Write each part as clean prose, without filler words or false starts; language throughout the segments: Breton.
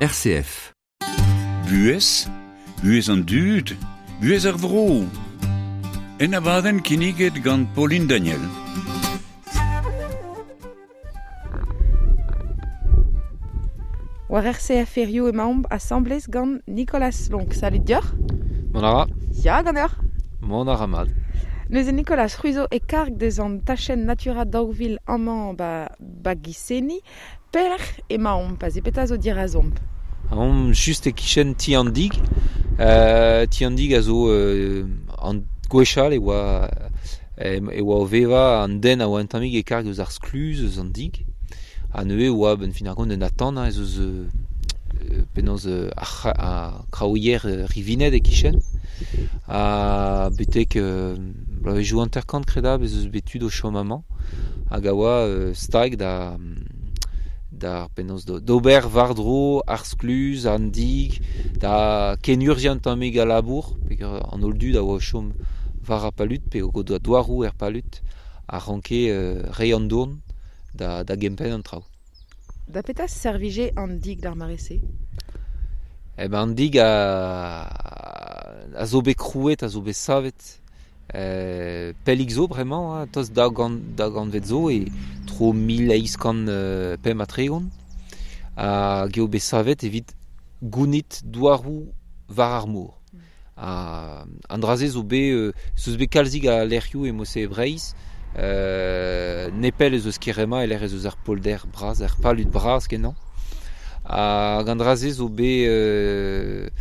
RCF. Buhez, buhez an dud, buhez ar vro. En abadenn kinniget gant Pauline Daniel. War RCF Erioù emaomp asambles gant Nicolas Lonk. Salut deoc'h. Mont a ra. Ya, ganeoc'h. Mont a ra mat. Neuze Nicolas, c'hwi zo e karg deus an tachenn Natura 2000 amañ ba, ba Giseni. Pelec'h emaomp, pa se petra zo dirazomp? Omp just e-kichen ti an dig. Euh, ti an dig a zo euh, an gwechall e oa, e oa o vevañ an den a oa un tammig e karg eus ar skluz eus an dig. Ha neuze e oa benn fin ar gont un atant hein, ez eus euh, penaos ar, ar kraouier rivinet e-kichen. Ha betek euh, bloavezhioù hanter-kant kredabl ez eus bet tud o chom amañ hag a oa stag da da penaos d'ober war-dro ar skluz, an dig, da kenurzhiañ un tammig al labour, peogwir an holl dud a oa o chom war ar palud pe o doa douaroù er palud a ranke reiñ an dourn da, da gempenn an traoù. Da petra servije an dig d'ar mare-se? Eh ben an dig a, a zo bet krouet, a zo bet savet pellik zo bremañ, hein, tost da gant, da gantved zo, e tro 1835, hag eo bet savet evit gounit douaroù war ar mor. Ha an dra-se zo bet, ez eus bet kalzik a lec'hioù e mod-se e Breizh, nepell ez eus Kerema e-lec'h ez eus ar polder bras, ar palud bras kenañ. Hag an dra-se zo bet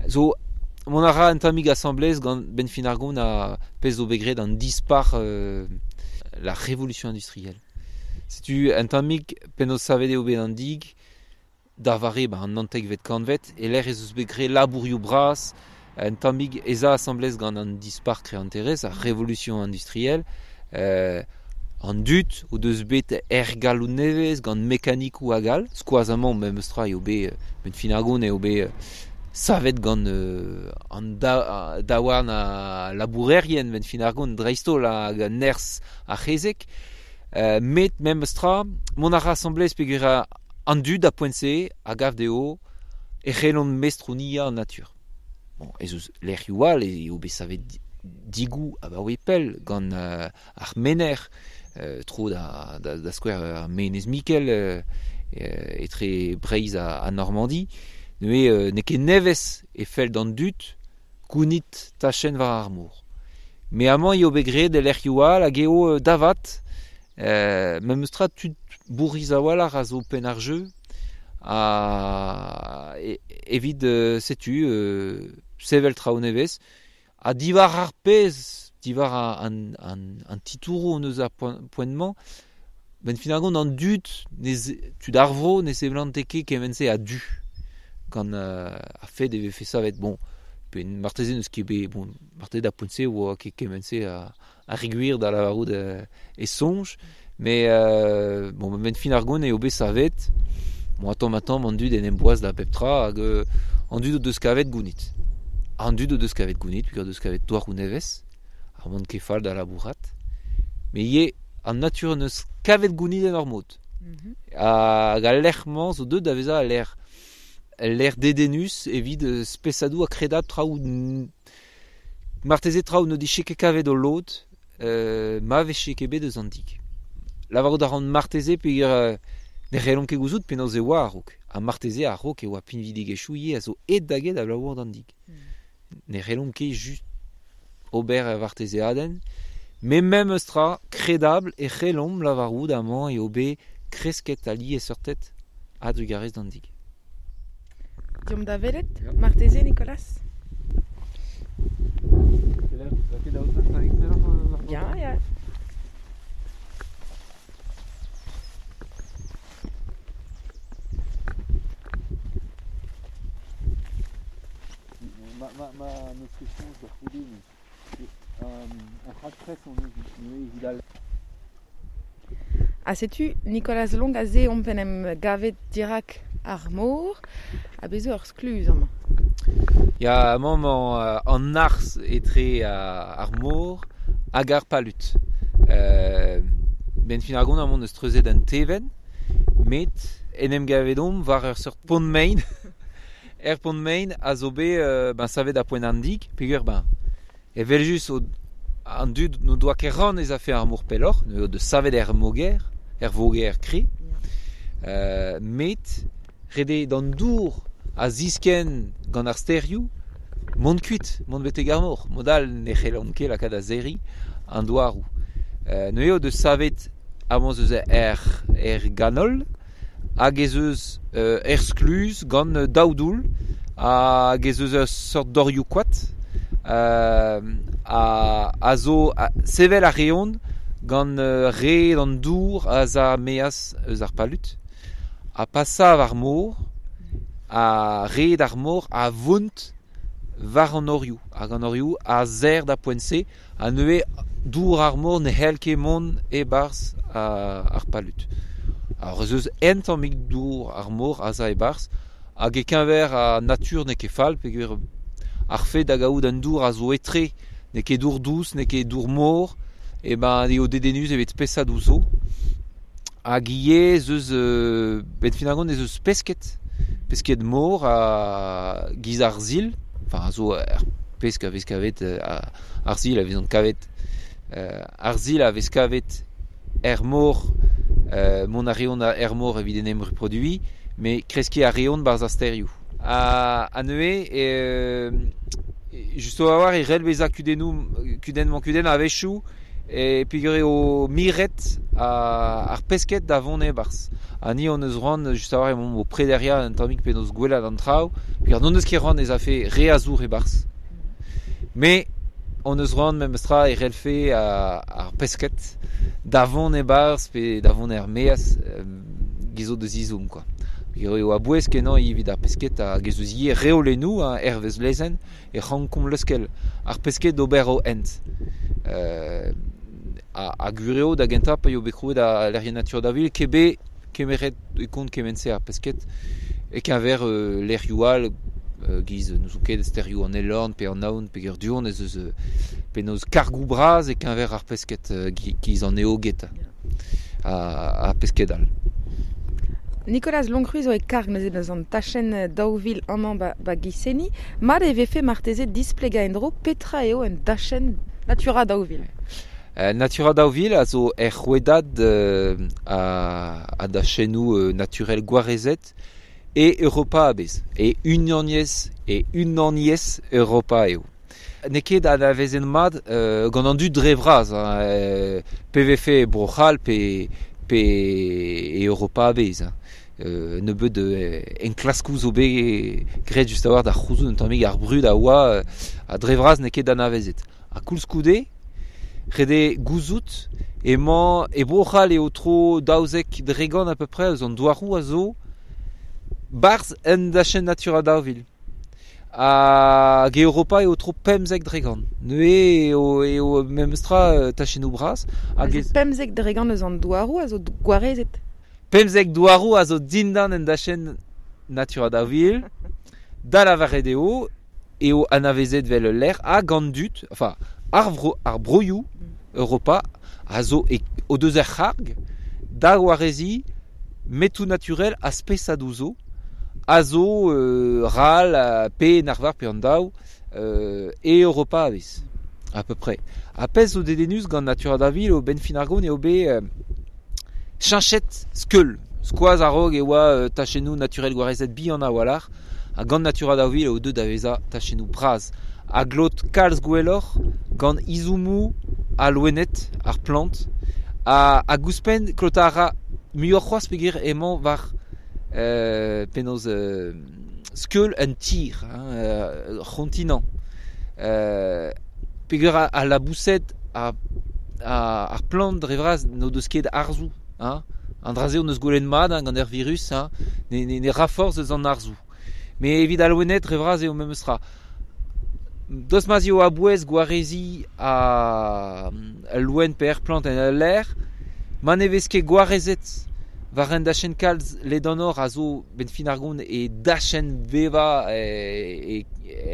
zo mont a ra un tammig asambles gant benn fin ar gont a pezh zo bet graet an dispac'h la révolution industrielle. Setu un tammig penaos savet eo bet an dig da vare ba an naontekvet kantved e-lec'h ez eus bet graet labourioù bras un tammig ez a asambles gant an dispac'h greanterezh, ar révolution industrielle. An dud o deus bet ergaloù nevez gant mekanikoù hag all, skoaz amañ memes tra eo bet benn fin ar gont eo bet savet gant an daouarn a labourerien benn fin ar gont dreist-holl hag nerzh ar c'hezeg. Met memes tra, mont a ra asambles peogwir an dud a poent-se a gav dezho e c'hellont mestroniañ an natur. Bon, ez eus lec'hioù all eo bet savet digoù abaoe pell gant ar menec'h, tro da, da, da skouer ar Menez Mikel etre Breizh ha Normandi. Neuze n'eo ket nevez e fell d'an dud gounit tachenn war ar mor. Met amañ eo bet graet e lec'hioù all hag eo davat memes tra tud bourriz a-walc'h a zo penn ar jeu ha evit setu sevel traoù nevez. Ha diwar ar pezh, diwar an, an, an titouroù hon eus ar poent-mañ, benn fin ar gont an dud, ne tud ar vro ne seblante ket kement-se a-du gant ar fed e vefe savet. Bon, pe marteze n'eus ket bet, bon, marteze d'ar poent-se oa ket kement-se a, a re gwir da lavarout e soñj, mais bon, benn fin ar gont eo bet savet. Bon, tamm-ha-tamm an dud en em boaz da bep tra hag an dud o deus kavet gounit. An dud o deus kavet gounit, peogwir o deus kavet douaroù nevez, ar mont ket fall da labourat. Met ivez an natur en deus kavet gounit en ur mod. Hag al lec'h-mañ zo deuet da vezañ al lec'h ul lec'h dedennus evit spesadoù ha kredabl traoù marteze traoù n'o dije ket kavet o lod ma vije ket bet eus an dig. Lavarout a ran marteze peogwir ne c'hellomp ket gouzout penaos e oa a-raok. Ha marteze a-raok e oa pinvidigezhioù ivez a zo aet da get abalamour d'an dig. Ne c'hellomp ket just ober ur vartezeadenn, met memes tra, kredabl e c'hellomp lavarout amañ eo bet kresket al liesseurted a-drugarez d'an dig. Deomp da welet, marteze, Nicolas? Ya, ya. Ma, ma, ma n'eus ket soñj da c'houde, mais un raktres on eus neuze evit al Ha setu Nicolas Long aze omp en em gavet dirak ar mor ha bez zo ur skluz amañ. Ya, amañ emañ an arzh etre ar mor hag ar palud. Benn fin ar gont amañ eus treuzet an tevenn, met en em gavet omp war ur seurt pont mein. Er pont mein a zo bet ben, savet a poent an dik, peogwir ben, evel just an dud no doa ket ran ez a fe ar mor pelloc'h, no de savet er moger, er voger kri. Met rede d'an dour a zisken gant ar sterioù, mont kuit, mont betek ar mor. Modal ne c'hellont ket lakaat a zerri an douaroù. No eo de savet amañ eus er ganol, hag ez eus er skluz gant daou doull, hag ez eus ur seurt dorioù koad, a zo sevel a reont gant red an dour a za meaz eus ar palut, a pasav ar mor, a red ar mor a vont war an orioù, hag an orioù a zer da poent-se, a neuze dour ar mor ne c'hell ket mont e-barzh ar palut. Alors ez eus un tammig dour ar mor a za e-barzh, hag e-keñver a natur n'eo ket fall, peogwir ar fed da gaout an dour a zo etre, n'eo ket dour dous, n'eo ket dour mor, e ben eo dedennus evit spesadoù zo. Hag ivez ez eus, ben finalement ez eus pesked mor a giz ar zil, enfin a zo ar pesk a vez kavet, ar zil a vezont kavet, ar zil a vez kavet er mor, mont a reont er mor evit en em reproduiñ, met kreskiñ a reont barzh ar sterioù. A neuze, just a-walc'h e c'hell bezañ kudennoù, kudenn-mañ-kudenn a-wechoù, e peogwir eo miret ar pesked da vont e-barzh. Ha ni hon eus c'hoant, just a-walc'h emaomp o prederiañ un tammig penaos gwelat an traoù, peogwir n'hon eus ket c'hoant ez afe re a zour e-barzh. Mais hon eus c'hoant memestra e c'hellfe ar pesked da vont e-barzh pe da vont er-maez giz o deus ezhomm, quoi. Peogwir eo a-bouez kenañ evit ar pesked hag ez eus ivez reolennoù hervez lezenn e rankomp leuskel ar pesked d'ober o hent. A gwir eo da gentañ pa eo bet krouet a lec'hienn Natura daou vil ket bet kemeret e kont kement-se ar pesked e-keñver lec'hioù all giz n'ouzon ket sterioù an Elorn pe an Aon pe du-hont ez eus penaos kargoù bras e-keñver ar pesked giz an eoged ar pesked all. Nicolas Longcru zo e karg neuze deus an tachenn 2000 amañ ba Giseni. Mat e vefe marteze displegañ en-dro petra eo un dachenn Natura 2000. Natura 2000 a zo er c'hwedad a dachennoù naturel gwarezet e Europa a-bezh, e Unaniezh Europa eo. N'eo ket anavezet mat gant an dud dre vras, hein, pe vefe e Bro-C'hall pe e Europa a-bezh. Nebeut enklaskoù zo bet graet just a-walc'h da c'houzout un tammig ar brud a oa ha dre vras n'eo ket anavezet. Ha koulskoude, ret eo gouzout emañ e Bro-C'hall eo tro 12% à peu près eus an douaroù a zo barzh un dachenn Natura 2000. Hag e Europa eo tro 15%. Neuze eo memestra tachennoù bras. Hag 15% eus an douaroù a zo gwarezet. 15 douaroù a zo dindan en dachenn Natura 2000. Da lavaret eo anavezet vel ul lec'h hag an dud, enfin ar broioù Europa a zo o deus er c'harg da gwareziñ metoù naturel a spesadoù zo a zo ral pe en arvar pe an daou e Europa a-bezh, à peu près. Ha pezh zo dedennus gant Natura 2000 eo ben fin ar gont eo bet cheñchet skeul. Skoaz a-raok e oa tachennoù naturel gwarezet bihan a-walc'h, ha gant Natura 2000 eo deuet da vezañ tachennoù bras. A glot kalz gwelloc'h gant izommoù a loened, ar plant, hag ouzhpenn klotañ a ra muioc'h c'hoazh peogwir emañ war penaos skeul un tir, hein, c'hontinant. Peogwir al laboused ar plant dre vras n'o deus ket arzoù. Hein. An dra-se hon eus gwelet mat gant ar virus, hein, ne ra forzh eus an arzoù. Met evit al loened dre vras eo memes tra. Daoust ma'z eo a-bouez gwareziñ al loen pe ar plant en ul lec'h, ma ne vez ket gwarezet war un dachenn kalz ledanoc'h a zo ben fin ar gont e dachenn bevañ e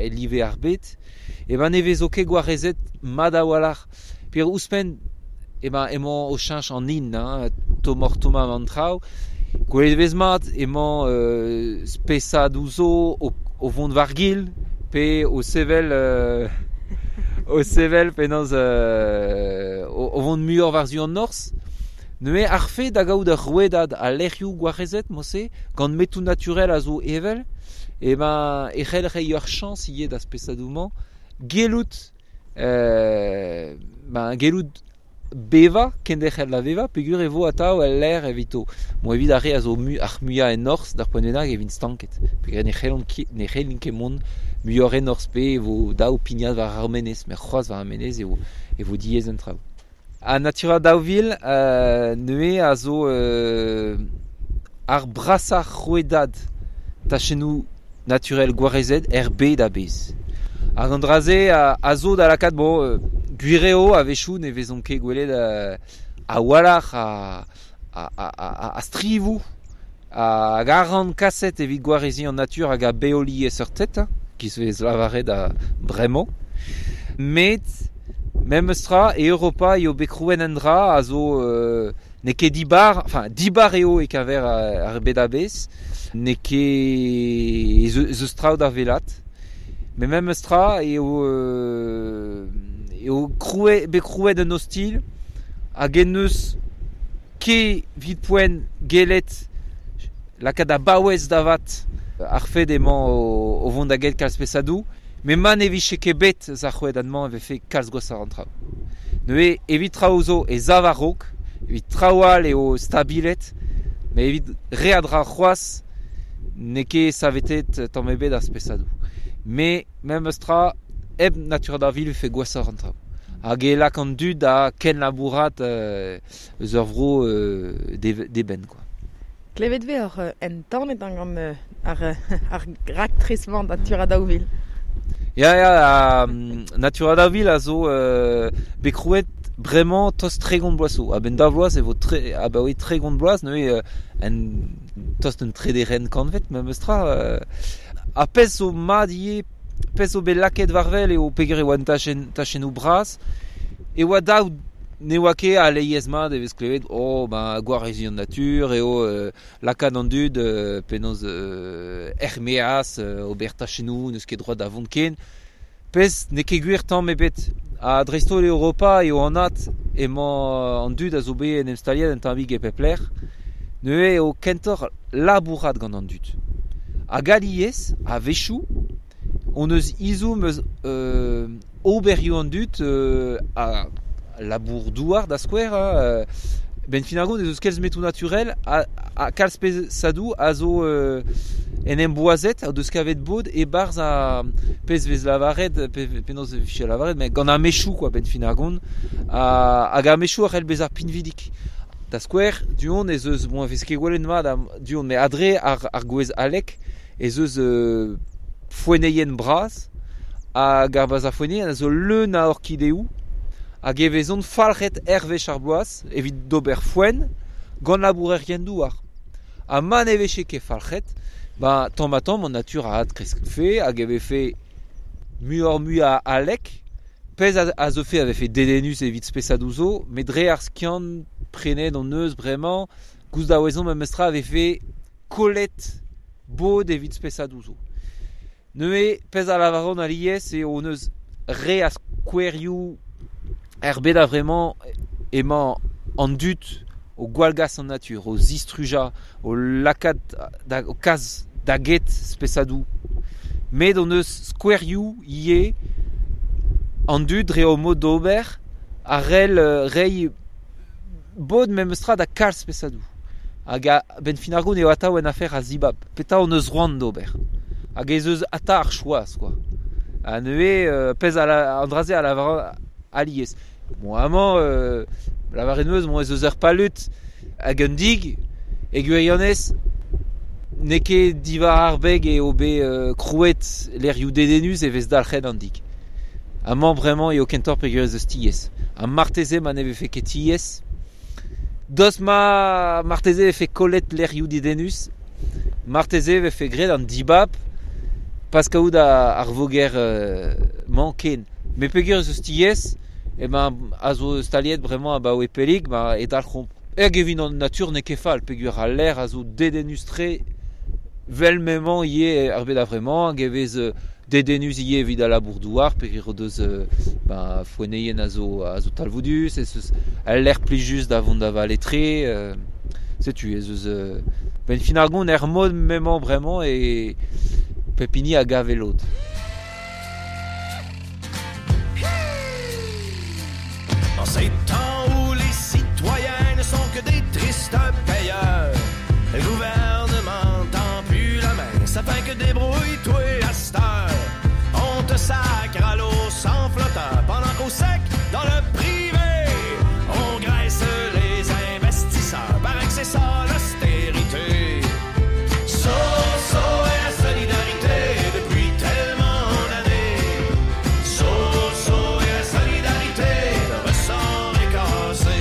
live ar bed, e ben ne vezo ket gwarezet mat a-walc'h. Peogwir ouzhpenn emañ o cheñch an hin, hein, tommoc'h-tommañ an traoù, Gwelet vez mat emañ spesadoù zo o vont war-gil pe o sevel o sevel penaos o vont muioc'h war-zu an norzh. Neuze ar fed da gaout ur rouedad a lec'hioù gwarezet mod-se gant metoù naturel a zo evel e ben e c'hell reiñ ur chañs ivez da spesadoù-mañ gellout ben gellout bevañ, kenderc'hel da vevañ peogwir e vo atav el lec'h evito. Bon evit ar re a zo ar muiañ en norzh d'ar poent bennak e vint stanket peogwir ne c'hellont ket ne c'hellint ket mont muioc'h en norzh pe e vo dav pignat war ar menez met c'hoazh war ar menez eo e vo diaes an traoù. An Natura 2000 neuze a zo ar brasañ rouedad tachennoù naturel gwarezet er bed a-bezh. Hag an dra-se a zo da lakaat bon gwir eo a-wechoù ne vezont ket gwelet a-walc'h a strivoù hag arc'hant kaset evit gwareziñ an natur hag a beoliesseurted, giz vez lavaret bremañ. Met memes tra e Europa eo bet krouet un dra a zo n'eo ket dibar, enfin dibar eo e-keñver ar bed a-bezh, n'eo ket ez eus traoù da welat. Met memes tra eo eo krouet bet krouet un ostilh hag en deus ket evit poent gellet lakaat da baouez da vat ar fed emañ o vont da get kalz spesadoù. Met ma ne vije ket bet eus ar c'hwedad-mañ e vefe kalz gwashoc'h an traoù. Neuze evit traoù zo e sav a-raok, evit traoù all eo stabilet, met evit re a dra c'hoazh n'eo ket savetet tamm ebet ar spesadoù. Met memes tra hep Natura 2000 e vefe gwashoc'h an traoù. Hag e lak an dud da kenlabourat eus ur vro d'eben kwa. Klevet 'vez oc'h entanet gant ar raktres-mañ Natura 2000. Ya, ya, Natura 2000 a zo bet krouet bremañ tost 30 bloaz zo. A-benn daou vloaz e vo abaoe 30 bloaz neuze en tost un trederenn kantved memes tra. Ar pezh zo mat ivez, pezh zo bet lakaet war-wel eo peogwir e oa un tachennoù bras, e oa dav ne oa ket alies mat e vez klevet oh ben gwareziñ an natur eo lakaat an dud penaos er-maez ober tachennoù n'eus ket droad da vont ken. Pezh n'eo ket gwir tamm ebet. Ha dreist-holl e Europa eo anat emañ an dud a zo bet en em staliet un tammig e pep lec'h. Neuze eo kentoc'h labourat gant an dud. Hag alies, a-wechoù, hon eus ezhomm eus oberioù an dud a labour-douar da skouer. Ben fin ar gont ez eus kalz metoù naturel ha kalz spesadoù a zo en em boazet o deus kavet bod e-barzh ar pezh vez lavaret penaos e vije lavaret met gant ar mechoù kwa ben fin ar gont hag ar mechoù a c'hell bezañ pinvidik. Da skouer, du-hont ez eus bon e vez ket gwelet mat du-hont met adre ar gwez alek ez eus foenneien bras hag ar bas ar foenneien a zo leun a orkideoù hag e vezont falc'het hervez ar bloaz evit d'ober foenn gant labourerien douar. Ha ma ne vije ket falc'het, ba tamm-ha-tamm an natur a adkreskfe hag e vefe muioc'h-mui a alek. Pezh a zeufe a vefe dedennus evit spesadoù zo, met dre ar skiant prenet hon eus bremañ, gouzout a ouezomp memestra a vefe kollet bod evit spesadoù zo. Neuze, pezh a lavaront alies eo hon eus re a skouerioù er bed a-vremañ emañ an dud o gwallgas an natur, o zistrujañ, o lakaat da o kas da get spesadoù. Met hon eus skouerioù ivez an dud dre o mod d'ober a c'hell reiñ bod memestra da kalz spesadoù. Hag a-benn fin ar gont eo atav un afer a zibab. Petra hon eus c'hoant d'ober. Hag ez eus atav ar choaz kwa. Ha neuze pezh an dra-se a lavar alies. Bon, amañ, lavaret 'm eus, bon, ez eus ur palud hag un dig e gwirionez n'eo ket diwar ar beg eo bet krouet lec'hioù dedennus e vez dalc'het an dig. Amañ bremañ eo kentoc'h peogwir ez eus tiez. Ha marteze ma ne vefe ket tiez, daoust ma marteze e vefe kollet lec'hioù dedennus, marteze e vefe graet an dibab pas kaout ar voger mañ ken. Met peogwir ez eus tiez, emañ a zo staliet bremañ abaoe pellik, ma e dalc'homp. Hag evit an natur n'eo ket fall, peogwir al lec'h a zo dedennus-tre vel m'emañ ivez ar bed a-vremañ, hag e vez dedennus ivez evit al labour-douar, peogwir o deus foenneien a zo talvoudus, ez eus al lec'h plijus da vont da vale tre, setu ez eus ben fin ar gont er mod m'emañ bremañ e pep hini a gav e lod. En ces temps où les citoyens ne sont que des tristes payeurs, le gouvernement tend plus la main, ça fait que débrouille-toi à cette heure. On te sacre à l'eau sans flotteur, pendant qu'au sec, dans le privé, on graisse les investisseurs. Paraît que c'est ça l'austérité. So, so est la solidarité depuis tellement d'années. So, so est la solidarité, le ressort est cassé.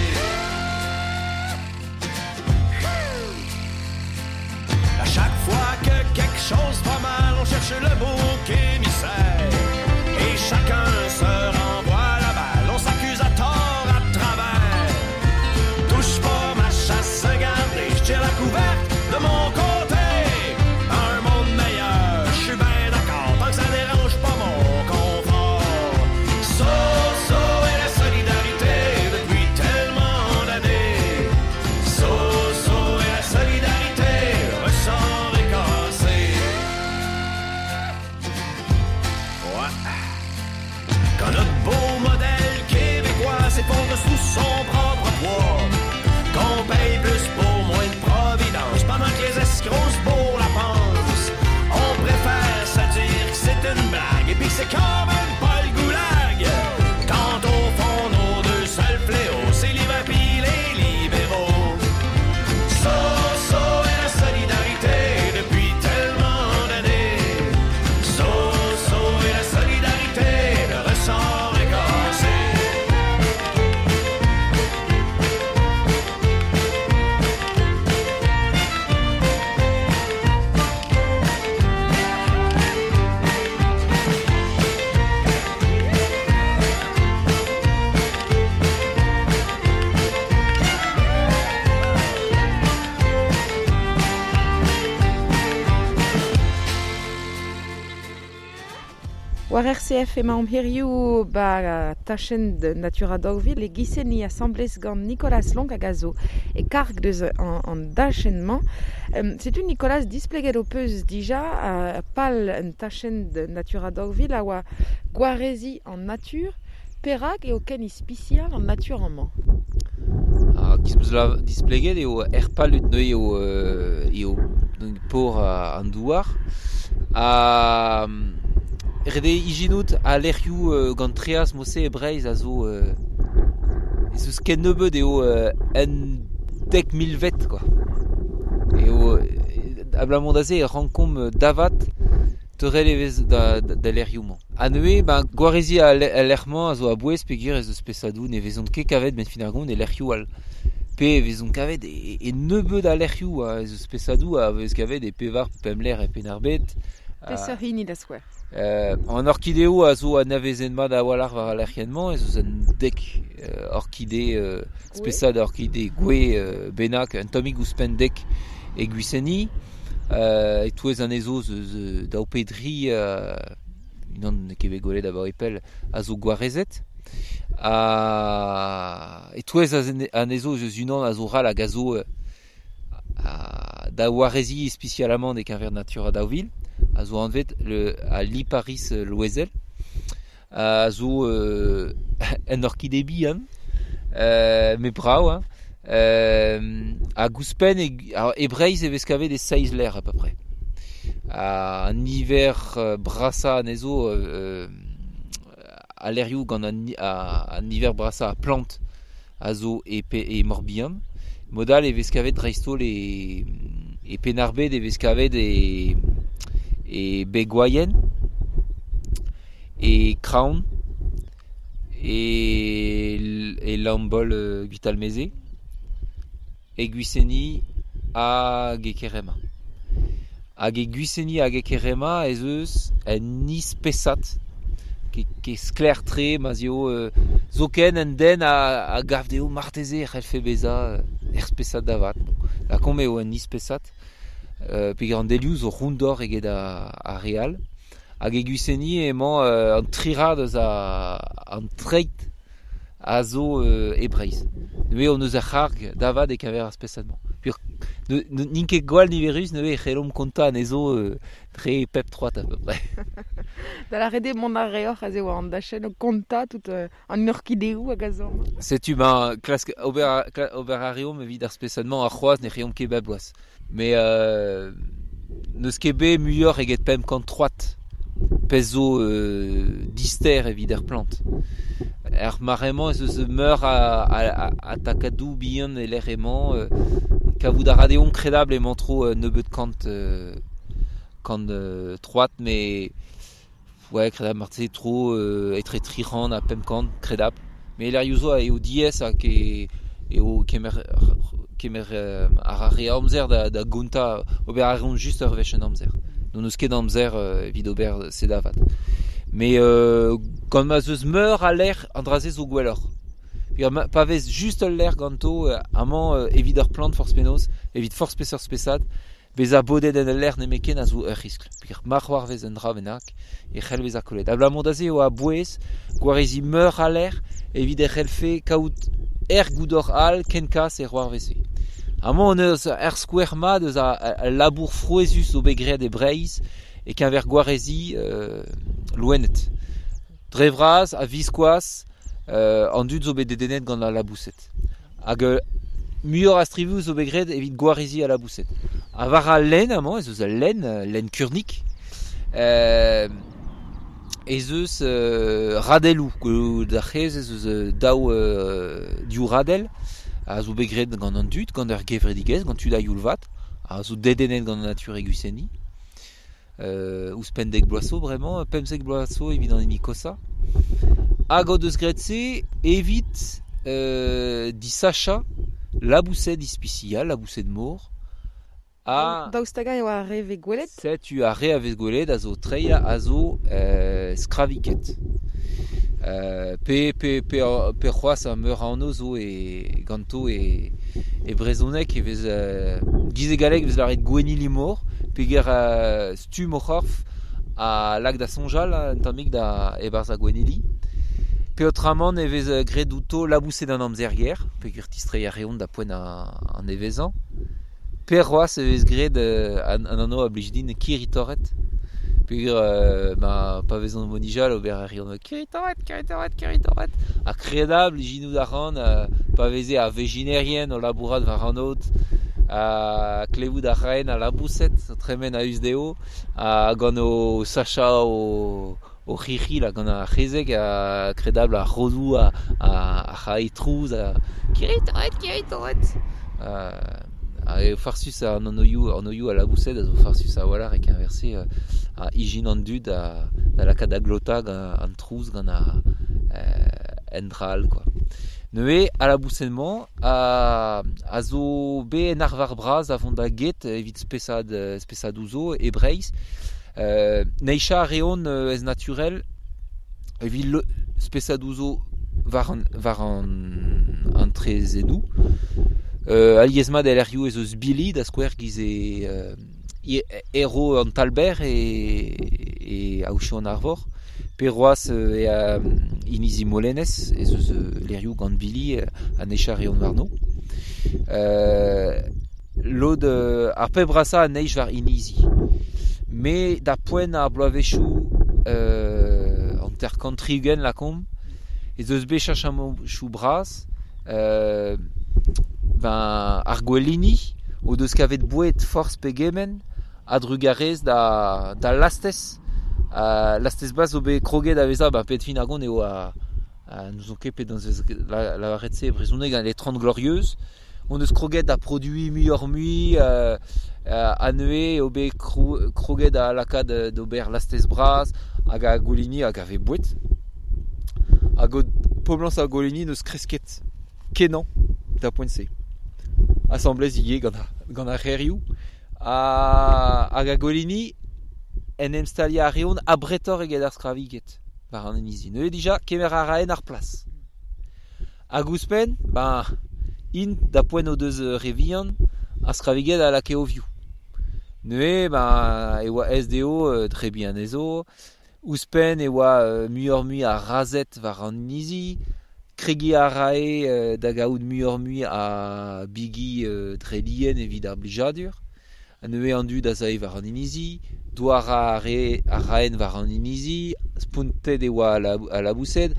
À chaque fois que quelque chose va mal, on cherche le bouc émissaire. Et chacun se renvoie la balle, on s'accuse à tort, à travers. Touche pas ma chasse gardée, je tire la couverte de mon côté. Un monde meilleur, je suis bien d'accord, tant que ça dérange pas mon confort. So, so est la solidarité depuis tellement d'années. So, so est la solidarité, le ressort est cassé. Ouais. Quand notre beau modèle québécois s'effondre sous son propre poids, qu'on paye plus pour moins de providence, pendant que les escrocs se bourrent la panse, on préfère se dire que c'est une blague et puis que c'est quand même pas le goulag. Quand au fond, nos deux seuls fléaux, c'est l'hiver pis les libéraux. So, so est la solidarité depuis tellement d'années. So, so est la solidarité, le ressort est cassé. War RCF emaomp hiziv ba tachenn de Natura daou vil e Guissény asambles gant Nicolas Long hag a zo e karg deus an dachenn-mañ. Setu Nicolas displeget ho peus dija pal un tachenn de Natura daou vil a oa gwarezi an natur, perak eo ken ispisial an natur amañ? Ha kiz meus la displeget eo er palut neuze eo por an douar. Ha ret eo ijinout a lec'hioù gant treaz mose e Breizh a zo ez eus ken nebeut eo un dek milvet quoi. Eo abalamour da se e rankomp davat teurel e vez da lec'hioù-mañ. Ha neuze, ben, gwarezi a lec'h-mañ a zo a-bouez peogwir ez eus spesadoù ne vezont ket kavet ben fin ar gont e lec'hioù all. Pe e vezont kavet e nebeut a lec'hioù, ha ez eus spesadoù a vez kavet e pevar pemp lec'h e Penn-ar-Bed. Peseurt hini da skouer? An orkideoù a zo anavezet mat a-walc'h war al lec'hienn-mañ, ez eus un dek orkide, spesad orkide gwe bennak, un tammig ouzhpenn dek e Guissény. E-touez anezho eus daou pe dri unan n'eo ket bet gwelet abaoe pell a zo gwarezet. E-touez anezho eus unan a zo ral hag a zo da warezi ispisialamant e-keñver Natura daou vil, a zo anvet a Liparis Loezel, a zo un orkide bihan, met brav, hein. Hag ouzhpenn e Breizh e vez kavet e seizh lec'h à peu près. An niver brasañ anezho a lec'hioù gant an niver brasañ a plant a zo e Morbihan. Mod all e vez kavet dreist-holl e Penn-ar-Bed e vez kavet e Begwaien, e Kraon, e Lambol Gwitalmeze, e Guissény hag e Kerema. Hag e Guissény hag e Kerema ez eus un ispesad ke sklaer-tre ma 'z eo zoken un den a gav dezho marteze e c'hellfe bezañ er spesad davat. Bon, la kom eo un ispesad, peogwir an delioù zo rondor eget a real. Hag e Gwiseni emañ an trirad eus an treid a zo e Breizh. Neuze on eus ar c'harg davat e keñver ar spesad-mañ. N'int ket gwall niverus neuze e c'hellomp kontañ anezho dre pep troad à peu près. Da lâret eo mont a reoc'h aze war an dachenn o kontañ tout an orkideoù hag a zo amañ. Setu ben klask ober, ober a reomp evit ar spesad-mañ ar c'hoazh ne reomp ket bep bloaz. Mais n'eus ket bet muioc'h eget 500 troad pezh zo dister evit ar plant. Er mare-mañ ez eus meur a takadoù bihan e lec'h emañ kavout a ra deomp kredabl emañ tro nebeut kant kant troad met ouais kredabl marteze tro etre 300 ha 500 kredabl. Mais lec'hioù zo eo diaes hag eo kemer kemer ar re amzer da gontañ ober a reont just ur wech en amzer. N'hon eus ket amzer evit ober se da vat. Mais gant ma 'z eus meur a lec'h an dra-se zo gwelloc'h. Pa vez just ul lec'h ganto amañ evit ur plant forzh penaos, evit forzh peseurt spesad, bezañ bodet en ul lec'h nemetken a zo ur riskl. Peogwir ma c'hoarvez un dra bennak e c'hell bezañ kollet. Abalamour da se eo a-bouez gwareziñ meur a lec'h evit e c'hellfe kaout er goudor all kenkas e c'hoarvezfe. Amañ hon eus ur skouer mat eus al labour frouezhus zo bet graet e Breizh e-keñver gwareziñ loened. Dre vras a-viskoazh an dud zo bet dedennet gant al laboused. Hag muioc'h a strivoù zo bet graet evit gwareziñ al laboused. Ha war al lenn amañ ez eus ul lenn, lenn Kurnik, ez eus radelloù. D'ar c'hez ez eus daou div radell a zo bet graet gant an dud, gant ur gevredigezh, gant tud a-youl vat, a zo dedennet gant an natur e Gwiseni. Ouzhpenn dek bloaz zo bremañ, 15 bloaz zo evit an hini koshañ. Hag o deus graet se evit disachañ laboused ispisial, laboused mor. Ha Daoust hag-eñ eo ar re vez gwelet? Setu ar re a vez gwelet a zo treiñ a zo skraviked. Pe, pe, pe, pe c'hoazh meur a anv zo e, ganto e, e brezhoneg e vez giz e galleg e vez lâret gwennili-mor peogwir stumm o c'horf a lak da soñjal un tammig da e-barzh ar gwennili. Peotramant e vez graet outo laboused an amzer-ger peogwir distreiñ a reont da poent an nevezañ. Pe c'hoazh e vez graet an anv a blij din kirri-torret peogwir ma pa vezont o nijal ober a reont kirri-torret, kirri-torret, kirri-torret ha kredabl ijinout a ran pa veze ar vezhinerien o labourat war an aod ha klevout a raen al laboused o tremen a-us dezho ha gant o sachañ o c'hirri là gant ar c'hezeg ha kredabl ar rodoù a rae trouz ha kirri-torret, kirri-torret eo farsus an anvioù a laboused a zo farsus a-walc'h e-keñver-se a ijin an dud da lakaat da glotañ gant an trouz gant un dra all quoi. Neuze al laboused-mañ a zo bet en arvar bras da vont da get evit spesad spesadoù zo e Breizh. Neizhañ a reont ez naturel evit spesadoù zo war an traezhennoù. Alies-mat el lec'hioù ez eus bili da skouer giz e ero an Talber e Aochou an Arvor. Pe c'hoazh e inizi Molenez ez eus lec'hioù gant bili ha neizhañ a reont warno. Lod ar pep brasañ a neizh war inizi. Met da poent ar bloavezhioù 50 60 lakaomp ez eus bet cheñchamantoù bras ben ar gwelini o deus kavet boued forzh pegement a-drugarez da lastez. Lastez bras zo bet kroget da vezañ ba pet fin ar gont eo n'ouzon ket penaos vez lavaret se e brezhoneg les Trente Glorieuses. On eus kroget da produiñ muioc'h-mui ha neuze eo bet kroget da lakaat d'ober lastez bras hag ar gwelini hag a vez boued. Hag poblañs ar gwelini n'eus kresket kenañ da poent-se. Asambles ivez gant ar c'hêrioù. Hag ar gwelini en em staliañ a reont abretoc'h eget ar skraviked war an inizi. Neuze dija kemer a raen ar plas. Hag ouzhpenn, ben, Int da poent o deus re vihan, ar skraviged a lakae o vioù. Neuze, ben, e oa SDO dre bihan ezo, ouzhpenn e oa muioc'h-mui a razhed war an inizi, kregiñ a rae da gaout muioc'h-mui a bigi dre lien evit ar blijadur. Neuze an dud a zae war an inizi, douar a raen war an inizi, spontet e oa a laboused.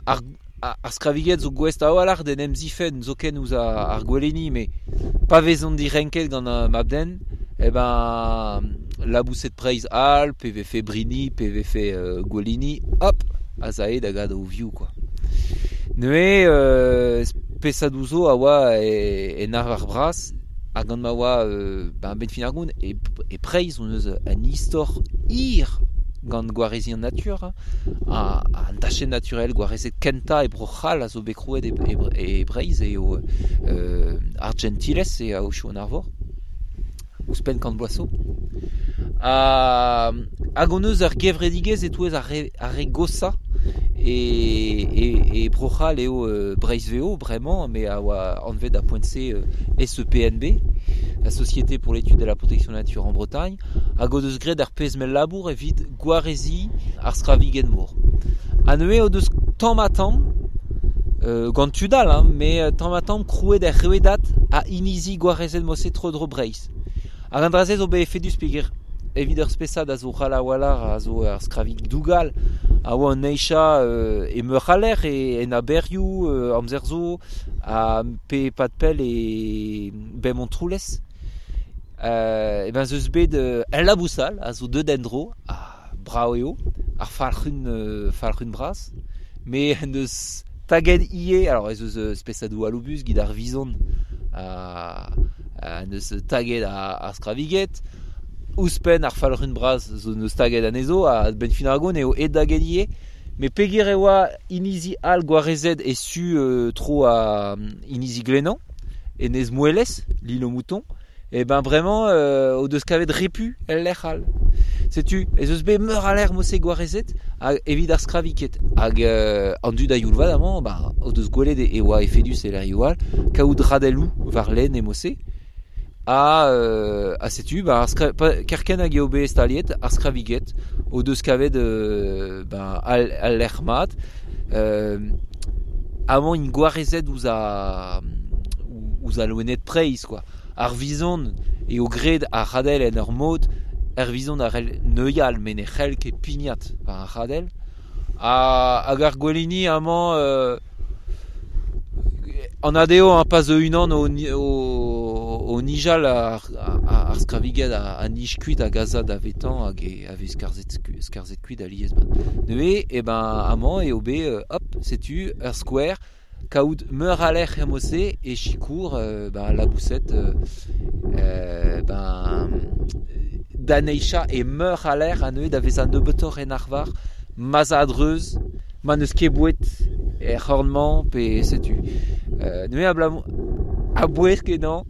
Ar skraviged zo gouest a-walc'h d'en em zifenn zoken ouzh ar goueleni, met pa vezont direnket gant mab-den, eh ben, laboused Breizh all, pe vefe brini, pe vefe gouelini, hop, a zae da gad o vioù, quoi. Neuze, spesadoù zo a oa en arvar bras, hag gant ma oa ben fin ar gont, e Breizh on eus un istor hir gant gwarezi an natur, an tachenn naturel gwarezet kentañ e Bro-C'hall a zo bet krouet e Breizh eo Argentiles e aochoù an Arvor, ouzhpenn kant bloaz zo. Hag on eus ur gevredigezh e-touez ar re gosañ e Bro-C'hall eo Breizh VO bremañ, mais a oa anvet a poent-se SEPNB, la Société pour l'étude de la protection de la nature en Bretagne, hag o deus graet ar pezh mell labour evit gwarezi ar skraviged mor. Ha neuze o deus tamm-ha-tamm, gant tud all, hein, mais tamm-ha-tamm krouet er rouedad a inizi gwarezet mose tro-dro Breizh. Hag an dra-se zo bet efedus peogwir evit ur spesad a zo ral a-walc'h a zo ar skravig dougal, a oa an neizha e meur a lec'h, en aberioù, amzer zo, ha pe pad pell e Bemont-Troulez. E ben zeus bet el labousal a zo deut en-dro, ha brav eo, ar falc'hun bras, mais en deus taget ivez, alors ez eus spesadoù aloubus, gid ar vizon, en deus taget ar skraviged, ouzhpenn ar falc'hun bras zo neus taget anezho, ha ben fin ar gont eo aet da get ivez, mais peogwir e oa inizi all gwarezet e su tro a inizi Glenan, enez Moelez, l'île aux moutons, e ben bremañ o deus kavet repu el lec'h all. Setu, ez eus bet meur a lec'h mose gwarezet hag evit ar skraviket. Hag an dud a youl vat amañ, ba, o deus gwelet e oa efedus e lec'hioù all, kaout radelloù war lenn e mose. Ha setu, ba, kerkent hag eo bet staliet ar skraviket o deus kavet ba, al lec'h mat. Amañ int gwarezet ouzh a loened preizh, quoi. Ar vizon eo graet ar radell en ur mod, ar vizon a c'hell neuial met ne c'hell ket pignat war ar radell. Hag ar gwelini amañ an adeo an pas unan o nijal ar skraviged a nij kuit hag a za da vetañ hag a vez skarzhet kuit alies. Neuze, e ben amañ eo bet, hop, setu ur skouer, kaout meur a lec'h emose e sikour ben laboused ben da neizha e meur a lec'h a neuze da vezañ nebeutoc'h en arvar, ma'z a a-dreuz, ma n'eus ket boued er c'horn-mañ pe setu. Neuze a-bouez kenañ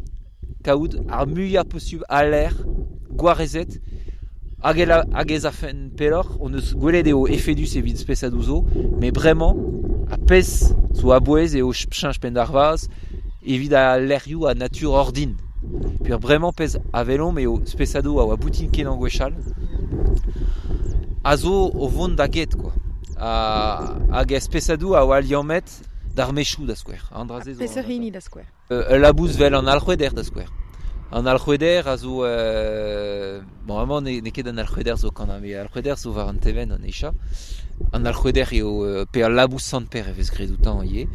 kaout ar muiañ posubl a lec'h gwarezet hag ez afen pelloc'h, on eus gwelet eo efedus evit spesadoù zo, met bremañ a pezh zo a-bouez eo cheñch penn d'ar vazh evit al lec'hioù a natur ordin. Peogwir bremañ pezh a welomp eo spesadoù a oa boutin kenañ gwechall, a zo o vont da get, quoi. Hag ar spesadoù a oa liammet d'ar mechoù da skouer. An dra-se zo Peseurt hini da skouer? Ul labous vel an alc'hweder da skouer. An alc'hweder a zo... bon, amañ n'eo ket an alc'hweder zo kanañ, met alc'hweder zo war an tevenn an echa. An alc'hweder eo pe al labous Sant-Pêr e vez graet outañ ivez,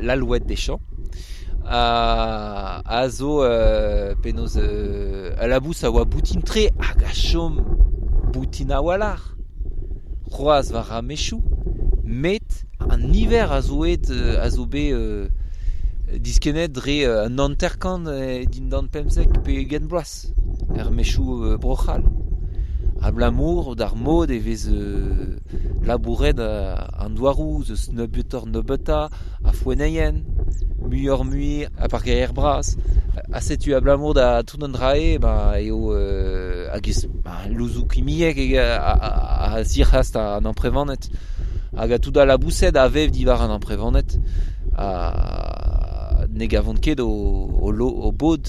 l'alouette des champs. A zo penaos al labous a oa boutin-tre hag a chom boutin a-walc'h. C'hoazh war ar mechoù, met an niver a zo aet a zo bet diskennet dre un hanter-kant dindan 15 pe 20 bloaz er mechoù Bro-C'hall. Abalamour d'ar mod e vez labouret an douaroù, eus nebeutoc'h nebeutañ, a foenneien, muioc'h-mui a parkeier bras. Ha setu abalamour da tout an dra-se, ba, eo hag ez ba, louzoù kimiek a zirc'hast an amprevaned. Hag a tout al laboused a vev diwar an amprevaned. ne gavont ket o bod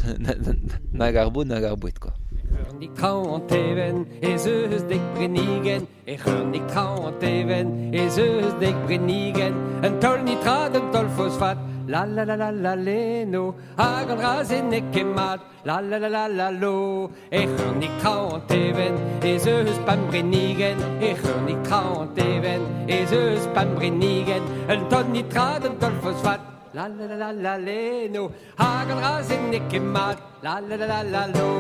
nag ar bod nag ar boued, quoi. Ec'hurnik traoñ an teven, ez eus dek brenigen. Ec'hurnik traoñ an teven, ez eus dek brenigen. Un taol nitrat, un taol fosfat, la la la la la leno. Hag an dra-se n'eo ket mat, la la la la la lo. Ec'hurnik traoñ an teven, ez eus pemp brenigen. Ec'hurnik traoñ an teven, ez eus pemp brenigen. Un taol nitrat, un taol fosfat, la la la la la leno. Hag an dra-se n'eo ket mat, la la la la la lo.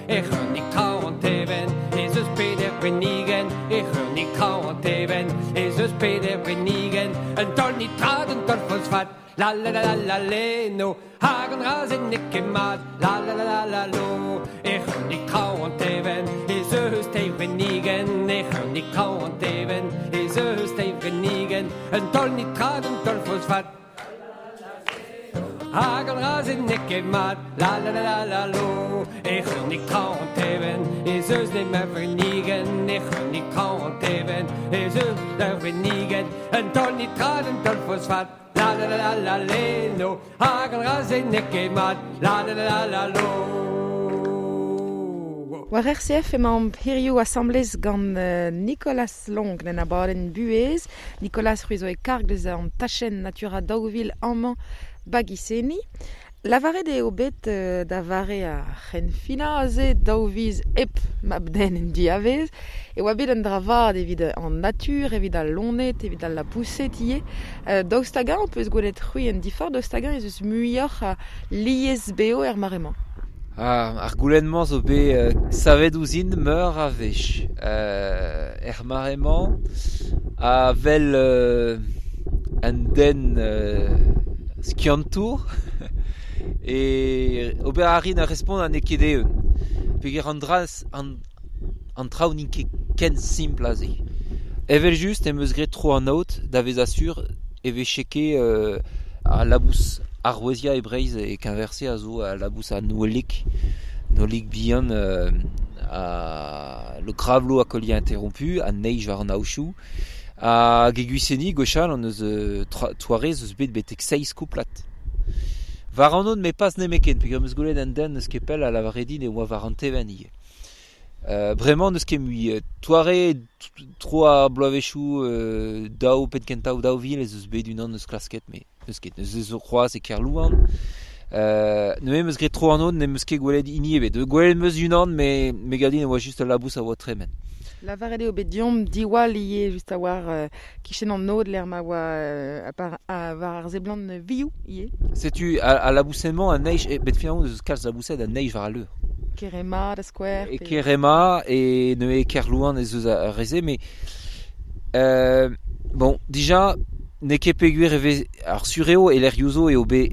Ec'hurnik traoñ an teven, ez eus peder brenigen. Ec'hurnik traoñ an teven, ez eus peder brenigen. Un taol nitrat, un taol fosfat, la la la la la leno. Hag an dra-se n'eo ket mat, la la la la la lo. Ec'hurnik traoñ an teven, ez eus teir brenigen. Ec'hurnik traoñ an teven, ez eus teir brenigen. Un taol nitrat, un taol fosfat, hag an dra-se n'eo ket mat, la la la la la lo. Ec'hurnik traoñ an teven, ez eus nemet brenigen. Ec'hurnik traoñ an teven, ez eus ur brenigen. Un taol nitrat, un taol fosfat, la la la la la leno. Hag an dra-se n'eo ket mat, la la la la la lo. War RCF emañ hiziv asambles gant Nicolas Long en abadenn Buhez. Nicolas c'hwi zo e karg deus an tachenn Natura 2000 amañ Bagiseni. Lavaret eo bet da vare ar c'henfinañ aze daou viz hep mab-den en diavez e oa bet un dra vat evit an natur, evit al loened, evit al lapoused ivez. Daoust hag-eñ ho peus gwelet c'hwi en diforc'h, daoust hag-eñ ez eus muioc'h a lies beo er mare-mañ? Ar goulenn-mañ zo bet savet ouzhin meur a wech. Er mare-mañ, a wel un den skiantour e ober a rin a respont an n'eo ket eeun. Peogwir an dra an traoù n'int ket ken simpl aze. Evel just em eus graet tro an aod da vezañ sur e vefe ket al labous aroueziañ e Breizh e keñver-se a zo al labous a Nouelig, Nouelig bihan a le cravelot à collier interrompu, a neij war an aochoù. Hag e Gwiseni gwechall an eus toarez eus bet betek seizh kouplad. War an aod me pas nemetken, peogwir em eus gwelet un den eus ket pell a lavare din e oa war an tevenn ivez. Bremañ n'eus ket mui. Toare tro ar bloavezhioù daou penn kentañ 2000 ez eus bet unan eus klasket, met n'eus ket. N'eus eus c'hoazh e Kerlouan. Neuze em eus graet tro an aod, n'em eus ket gwelet hini ebet. Gwelet em eus unan, met me gav din e oa just ul labous a oa tremen. Lavaret eo bet deomp diwall ivez just a-war kichen an aod lec'h ma oa war ar seblant vioù ivez. Setu al labousenn-mañ a neij, bet finalement eus kalz laboused a neij war al leur. Kerema da skouer. E Kerema e neuze Kerlouan ez eus ar re-se, mais bon, dija n'eo ket peogwir e vez ar sur eo e lec'hioù zo eo bet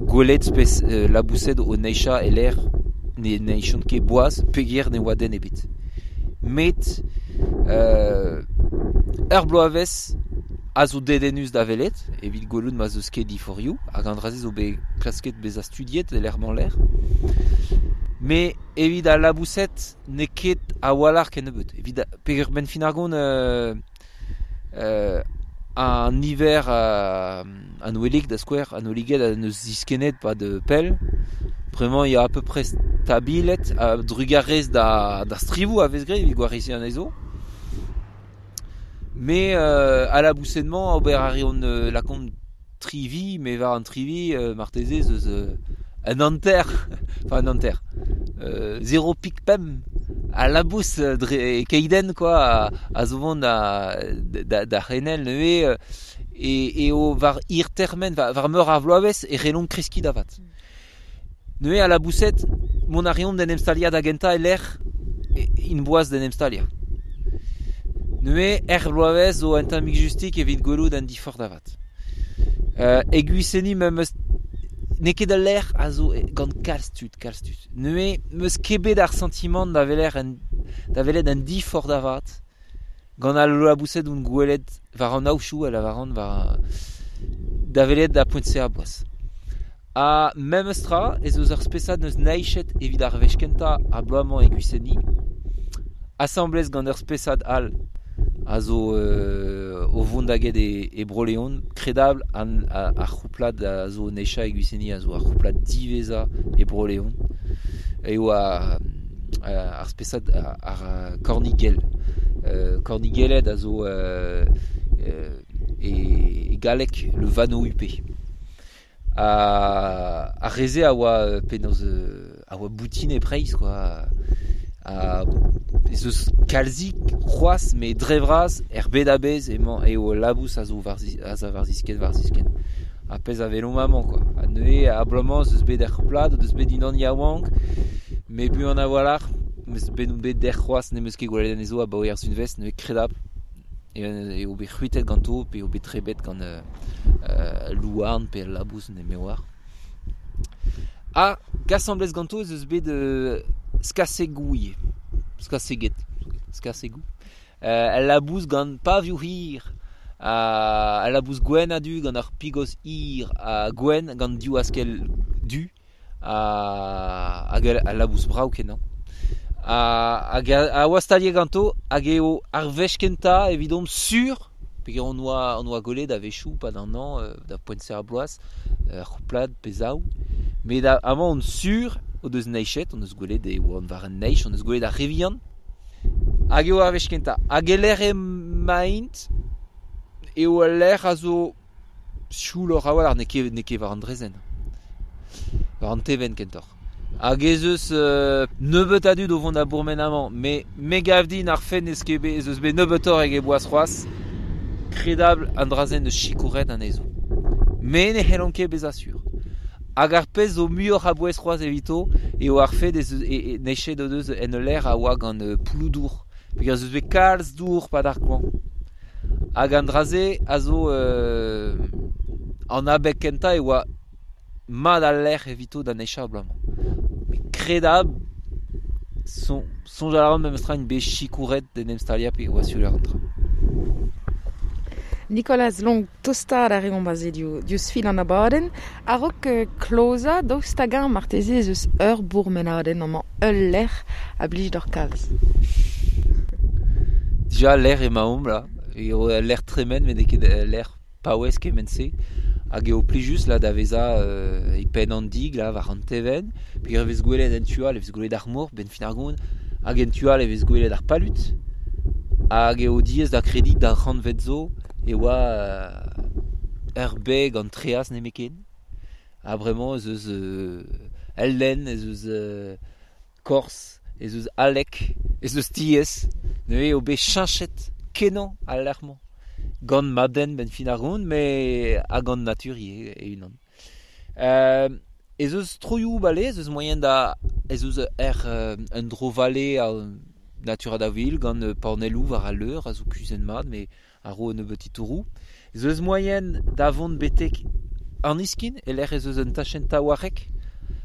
gwelet spes laboused o neichañ e lec'h ne neichont ket boaz peogwir ne oa den ebet. Met ur bloavezh a zo dedennus da welet evit gwelout ma 'z eus ket diforc'hioù hag an dra-se zo bet klasket bezañ studiet e lec'h-mañ-lec'h. Mais evit al laboused n'eo ket a-walc'h kennebeut. Evit peogwir benn fin ar gont an niver an ouelig da skouer, an oueliged a neus diskennet pad pell. Bremañ ya à peu près stabilet a drugarez da strivoù a vez graet evit gwareziñ anezho. Mais al laboused-mañ ober a reont lakaomp tri vi, met war an tri vi marteze ez eus un hanter, enfin un hanter, 0,5 a labous dre keidenn quoi a zo vont da c'henel neuze eo war hir termen, war meur ar vloavezh e c'hellont kreskiñ da vat. Neuze al laboused mont a reont d'en em staliañ da gentañ e lec'h int boaz d'en em staliañ. Neuze er bloavezh zo un tammig justik evit gwelout an diforc'h da vat. E Gwiseni me'm eus n'eo ket al lec'h a zo gant kalz tud, kalz tud. Neuze 'm eus ket bet ar santimant da welet un diforc'h da vat gant al laboused on gwelet war an aochoù a lavaran war da welet da poent-se a boaz. Ha memes tra ez eus ur spesad n'eus neichet evit ar wech kentañ ar bloaz-mañ e Gwiseni, asambles gant ur spesad all a zo o vont da get e Bro-Leon, kredabl an ar c'houplad a zo necha e Gwiseni a zo ar c'houplad diveza e Bro-Leon. Eo ar spesad ar kornigel. Kornigeled a zo e galleg le vanneau huppé. Ar reze a oa penaos a oa boutin e Breizh quoi. Ez eus kalzik c'hoazh me dre vras er bed a-bezh emañ eo labous a zo war ziskenn. A pezh a welomp amañ quoi. Ha neuze abalamour ez eus bet er c'houplad, eus bet unan yaouank, me buan a-walc'h, meus bet on bet dec'h c'hoazh n'em eus ket gwelet anezho abaoe ar sunvezh, neuze kredabl eo bet c'hwitet ganto pe eo bet trebet gant louarn pe labous ne me oar. Ha asambles ganto ez eus bet skasegou ivez. Skaseget. Skasegou. Al labous gant pavioù hir. Al labous gwenn ha du gant ar pigos hir ha gwenn gant div askell du. Hag al labous brav kenañ. Hag a oa staliet ganto hag eo ar wech kentañ evidomp sur peogwir on oa gwelet a-wechoù pad an hañv da poent-se ar bloaz ur c'houplad pe zaou. Met amañ on sur o deus neizhet, on eus gwelet e oant war an neizh, on eus gwelet ar re vihan. Hag eo ar wech kentañ. Hag e lec'h emaint eo al lec'h a zo siouloc'h a-walc'h, n'eo ket war an draezhenn. War an tevenn kentoc'h. Hag ez eus nebeut a dud o vont da bourmen amañ, met me gav din ar fenn ez eus bet nebeutoc'h eget boaz c'hoazh, kredabl an dra-se n'eus sikouret anezho. Me ne c'hellont ket bezañ sur. Hag ar pezh zo muioc'h a bouez c'hoazh evito eo ar fed ez eus nec'het o deus en ul lec'h a oa gant poulloù-dour. Peogwir ez eus bet kalz dour pad ar goañv. Hag an dra-se a zo an abeg kentañ e oa mat al lec'h evito da nechañ abalamour. Met kredabl soñjal a ran memestra int bet sikouret d'en em staliañ pe oa sur an dra. Nicolas Long, tostaat a reomp aze diouzh fil an abadenn. A-raok klozañ, daoust hag-eñ marteze ez eus ur bourmenadenn amañ, ul lec'h a blij deoc'h kalz. Dija lec'h emaomp là, eo ul lec'h tremen met n'eo ket ul lec'h paouez kement-se. Hag eo plijus là da vezañ e penn an dig là war an tevenn. Peogwir e vez gwelet en tu all, e vez gwelet ar mor, benn fin ar gont, hag en tu all e vez gwelet ar palud. Hag eo diaes da krediñ d'ar c'hantved zo e oa ur beg an treaz nemetken. Ha bremañ ez eus el lenn, ez eus korz, ez eus alek, ez eus tiez. Neuze eo bet cheñchet kenañ al lec'h-mañ. Gant mab-den benn fin ar gont, met ha gant natur ivez e-unan. Ez eus troioù bale, ez eus moaien da... Ez eus un dro-vale a Natura da vil gant panelloù war al leur a zo kuzhet mat, met a ro un nebeut titouroù. Ez eus moaien da vont betek an iskin, e-lec'h ez eus un tachenn taouarc'hek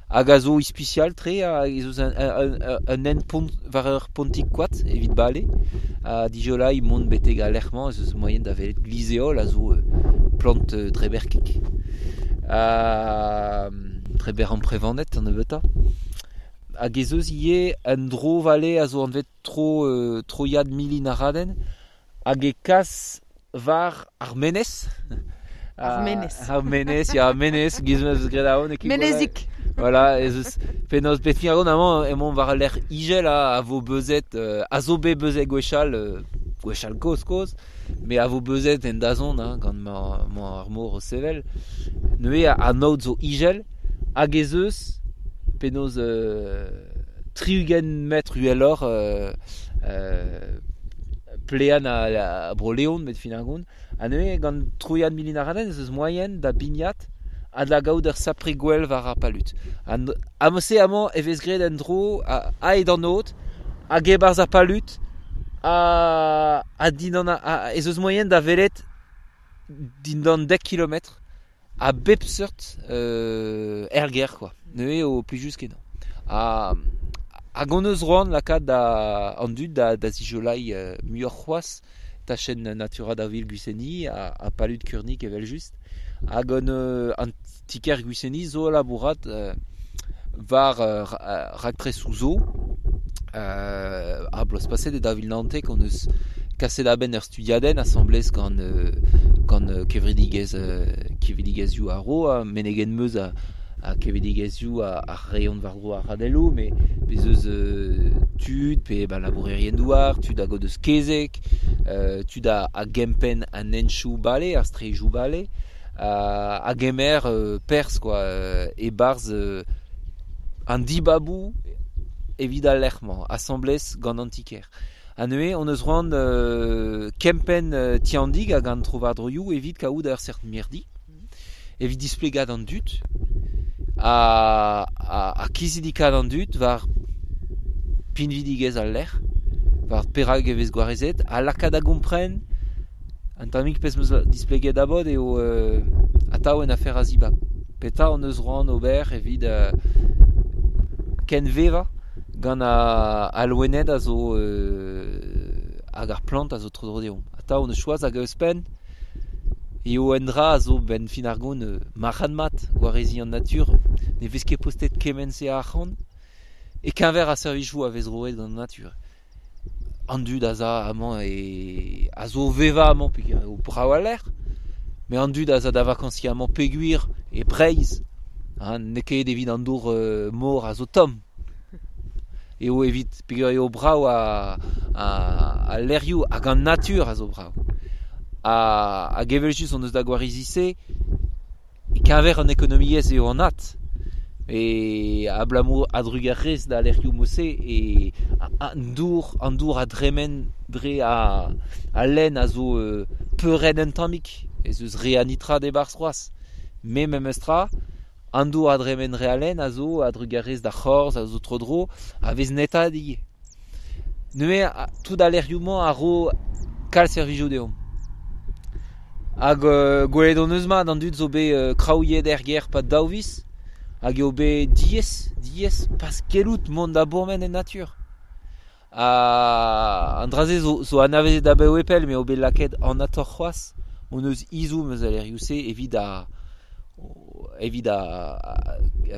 hag a zo ispisial-tre, ez eus un hent pont war ur pontig koad evit bale. Ha dijolaiñ mont betek al lec'h-mañ ez eus moaien da welet glizeol a zo plant dreberkek. Dreber amprevanet an nebeutañ. Hag ez eus ivez un dro-vale a zo anvet troiad milin aradenn hag e kas war ar menez. Ar menez. Ar menez, ya, menez, giz ma eus graet aon. Menezik. Voilà, ez eus penaos bet fin amañ emaomp war al lec'h ijel a vo beuzet, a zo bet beuzet gwechall, gwechall kozh-kozh, met a vo beuzet en dazont hein, gant ma ar mor o sevel. Neuze an aod zo ijel hag ez eus penaos 60 metr uheloc'h plean a Bro-Leon met fin ar gont. Ha neuze gant troiad milin aradenn ez eus moaien da bignat ha da gaout ur sapre gwell war ar palud. Ha se amañ e vez graet un dro aet an aod hag e-barzh ar palud ha dindan ez eus moaien da welet dindan 10 kilometr a bep seurt erger quoi. Neuze eo plijus kenañ. Hag hon eus roan lakaat an dud da zijolaiñ muioc'h c'hoazh tachenn Natura da vil Gwiseni ha palud Kurnik evel-just. Hag an tiker Gwiseni zo labourat war raktresoù zo. Ar bloaz paset e 2019 hon eus kaset a-benn ur studiadenn asambles gant gant kevredigezh kevredigezhioù ar ro, ha menegen meus a kevredigezhioù a reont war-dro ar radelloù, met bez eus tud pe ba labourerien douar, tud hag o deus kezeg, tud a gempenn an henchoù bale, ar straejoù bale, a gemer perzh quoi, e-barzh an dibaboù evit al lec'h-mañ, asambles gant an ti-kêr. Ha neuze on eus c'hoant kempenn Ti an Dig hag an tro-war-droioù evit kaout ur seurt mirdi, evit displegañ d'an dud ha kizidikaat an dud war pinvidigezh al lec'h, war perak e vez gwarezet, ha lakaat da gompren an tammig pezh 'm eus displeget abod eo atav en afer a zibab. Petra hon eus c'hoant ober evit kenvevañ gant al loened a zo hag ar plant a zo tro-dro deomp. Atav hon eus choaz hag ouzhpenn eo un dra a zo benn fin ar gont marc'had-mat gwareziñ an natur. Ne vez ket postet kement-se a arc'hant e-keñver ar servijoù a vez roet gant an natur. An dud a za amañ e a zo o vevañ amañ peogwir eo brav al lec'h, met an dud a za da vakañsiñ amañ peogwir e Breizh ha n'eo ket evit an dour mor a zo tomm. Eo evit peogwir eo brav al lec'hioù hag an natur a zo brav. Hag evel-just hon eus da gwarizi-se e-keñver an ekonomiezh eo anat. E abalamour a-drugarez da lec'hioù mod-se e an dour a dremen dre al lenn a zo peuret un tammig. Ez eus re a nitrat e-barzh c'hoazh. Me memes tra, an dour a dremen dre al lenn a zo a-drugarez d'ar c'horz a zo tro-dro a vez netaet ivez. Neuze tout al lec'hioù-mañ a ro kalz servijoù deomp. Hag gwelet hon eus mat an dud zo bet kraouiet er gêr 'pad daou viz hag eo bet diaes, diaes pas gellout mont da bourmen en natur. Ha an dra-se zo anavezet abaoe pell m'eo bet lakaet anatoc'h c'hoazh hon eus ezhomm eus al lec'hioù-se evit a evit a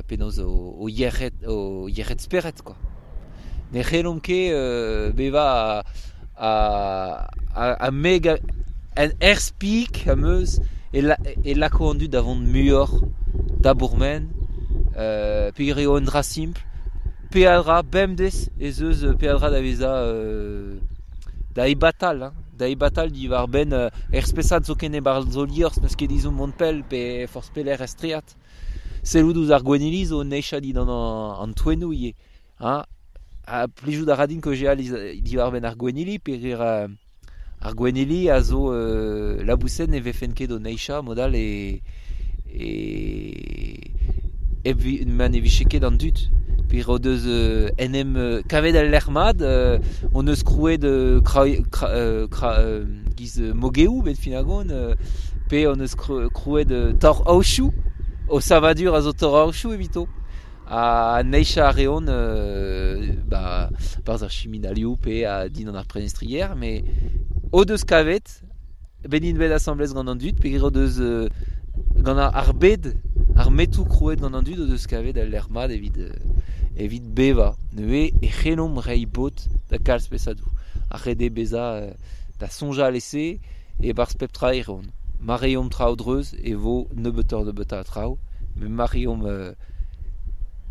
penaos o yec'hed spered quoi. Ne c'hellomp ket bevañ a mega en air-speak am eus e lako an dud da vont muioc'h da bourmen peogwir eo un dra simpl. Peadra bemdez ez eus peadra da vezañ da ebatal, hein, da ebatal diwar-benn er spesad zoken e-barzh zo liorzh n'eus ket ezhomm mont pell pe forzh pelec'h er straed. Sellout ouzh ar gwennili zo neizhañ dindan an toennoù ivez. Hein. Ha plijout a ra din kaozeal diwar-benn ar gwennili peogwir ar gwennili a zo labouset ne vefen ket o neizhañ mod-all e ma ne vije ket an dud. Peogwir o deus en em kavet al lec'h mat, hon eus krouet giz mogeoù bet fin ar gont, pe hon eus krouet tor-aochoù, o savadur a zo tor-aochoù evito. Ha neizhañ a reont ba barzh ar chiminalioù pe dindan ar prenestrier, met o deus kavet, bet int bet asambles gant an dud, peogwir o deus gant ar bed, ar metoù krouet gant an dud o deus kavet al lec'h mat evit bevañ. Neuze e c'hellomp reiñ bod da kalz spesadoù. Ar ret eo bezañ da soñjal e-se e-barzh pep tra e reont. Ma reomp traoù dreuz e vo nebeutoc'h-nebeutañ a traoù, met ma reomp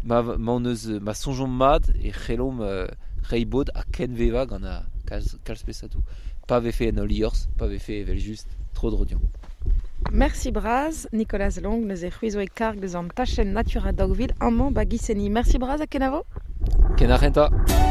ma soñjomp mat e c'hellomp reiñ bod ha kenvevañ gant ar kalz spesadoù. Pa vefe en hol liorzh, pa vefe evel-just tro-dro deomp. Merci bras, Nicolas Long, neuze c'hwi zo e karg deus an tachenn Natura 2000 amañ ba Giseni. Merci bras ha kenavo. Ken ar c'hentañ.